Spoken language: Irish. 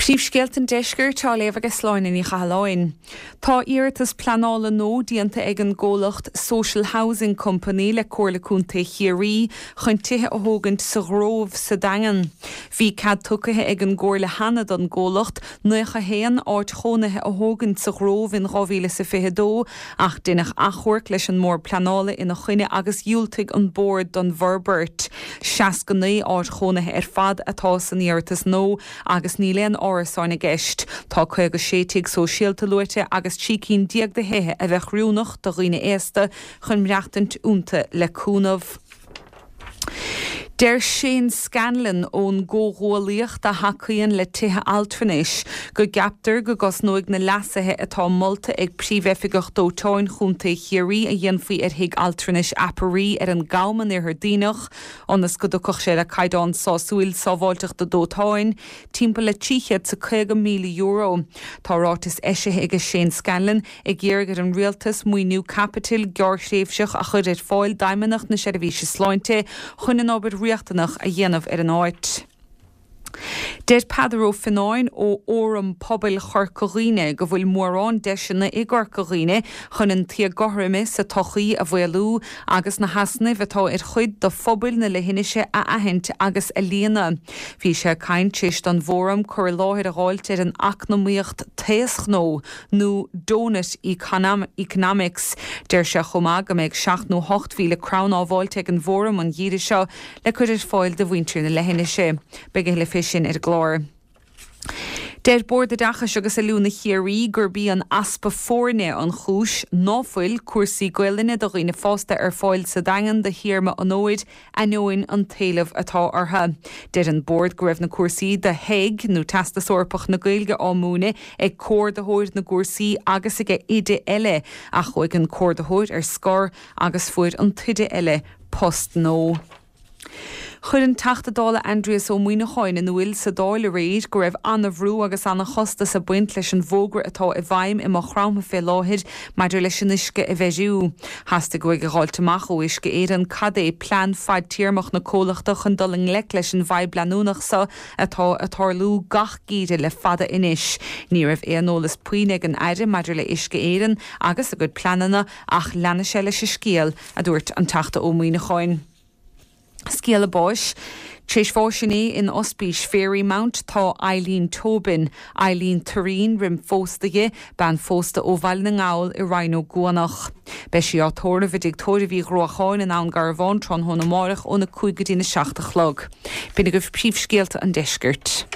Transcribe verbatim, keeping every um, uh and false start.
Príomhscéalta an deiscirt á léamh ag Sláine Ní Chathalláin. Tá iarratas pleanála nua déanta ag an gcomhlacht Social Housing Company le Comhairle Contae Chiarraí chun tithe a thógaint sa Ghrove sa Daingean. Bhí cead tugtha ag an gComhairle cheana don gcomhlacht nócha haon áit chónaithe a thógaint sa Ghrove in dhá mhíle is a fiche dó ach deineadh achomharc leis an mbord pleanála ina choinne agus dhiúltaigh an bord don bhforbairt. Seasca naoi áit chónaithe ar fad atá san iarratas nua agus níl aon árasáin i gceist. Tá caoga sé tigh sóisialta luaite agus trí cinn déag de thithe a bheadh oiriúnach do dhaoine aosta chun maireachtaint iontu le cúnamh. Deir Shane Scanlon ón gcomhghuaillíocht a thacaíonn le tithe altranais go gceaptar go gcosnóidh na leasuithe atá molta ag Príomhoifigeach Dóiteáin Chontae Chiarraí a dhéanfaí ar thigh altranais Aperee ar an gCam in Iarthar Duibhneach ionas go dtiocfadh sé le caighdeán sásúil sábháilteachta dóiteáin timpeall le trí chéad is caoga míle euro. Tá ráiteas eisithe ag Shane Scanlon ag iarraidh ar an rialtas maoiniú caipitil gearrthréimhseach a chur ar fáil d'Fheidhmeannacht na Seirbhíse Sláinte chun an obair riachtanach a dhéanamh ar an áit. Deir Peadar Ó Fionnáin ó Fhóram Pobail Chorca Dhuibhne go bhfuil mórán deiseanna i gCorca Dhuibhne chun an t-éagothroime sa tsochaí a mhaolú agus na heasnaimh atá ar chuid de phobail na leithinise a aithint agus a líonadh. Bhí sé ag caint tar éis don bhfóram cur i láthair a fháilt ar an eacnamaíocht taoschnó nó Doughnut Economics. Deir sé chomh maith go mbeidh seacht nó hocht mhíle crann á bhfáilt ag an bhfóram an geimhreadh seo le cur ar fáil do mhuintir na leithinise. Beidh a thuilleadh fé sin ar an gclár. Deir Bord Oideachais agus Oiliúna Chiarraí gurb í an easpa foirne an chúis ná fuil cúrsaí Gaelainne do dhaoine fásta ar fáil sa Daingean do théarma an fhómhair ainneoin an t-éileamh atá orthu. Deir an Bord go raibh na cúrsaí do TEG nó Teastas Eorpach na Gaeilge á múineadh ag comhordaitheoir na gcúrsaí agus ag oide eile ach chuaigh an comhordaitheoir ar scor agus fuair an t-oide eile post nua. Chuir an Teachta Dála Aindrias Ó Muimhneacháin in iúl sa Dáil aréir go raibh an-bhrú agus an-chostas ag baint leis an bhfógra atá i bhfeidhm i Maigh Chromtha fé láthair maidir leis an uisce a bheiriú. Theastaigh uaidh a dh'fháilt amach ó Uisce Éireann cad é plean fadtéarmach na comhlachta chun dul i ngleic leis an bhfadhb leanúnach seo atá ag tarlú gach geimhreadh le fada anois. Ní raibh aon eolas puinn ag an Aire maidir le Uisce Éireann agus a gcuid pleananna ach leanfaidh sé leis an scéal, a dúirt an Teachta Ó Muimhneacháin. Scéala báis. Tar éis bháis inné in Ospís Fairymount tá Eileen Tobin, Eileen Turín roim phósadh di, bean phósta ó Bhaile na nGall i Rinn Ó gCuanach. Beidh sí á tórramh i dTigh Tórraimh Uí Ghruacháin in Abhainn Garbhán tráthnóna amárach óna cúig go dtí na seacht a chlog. B'in agaibh príomhscéalta an deiscirt.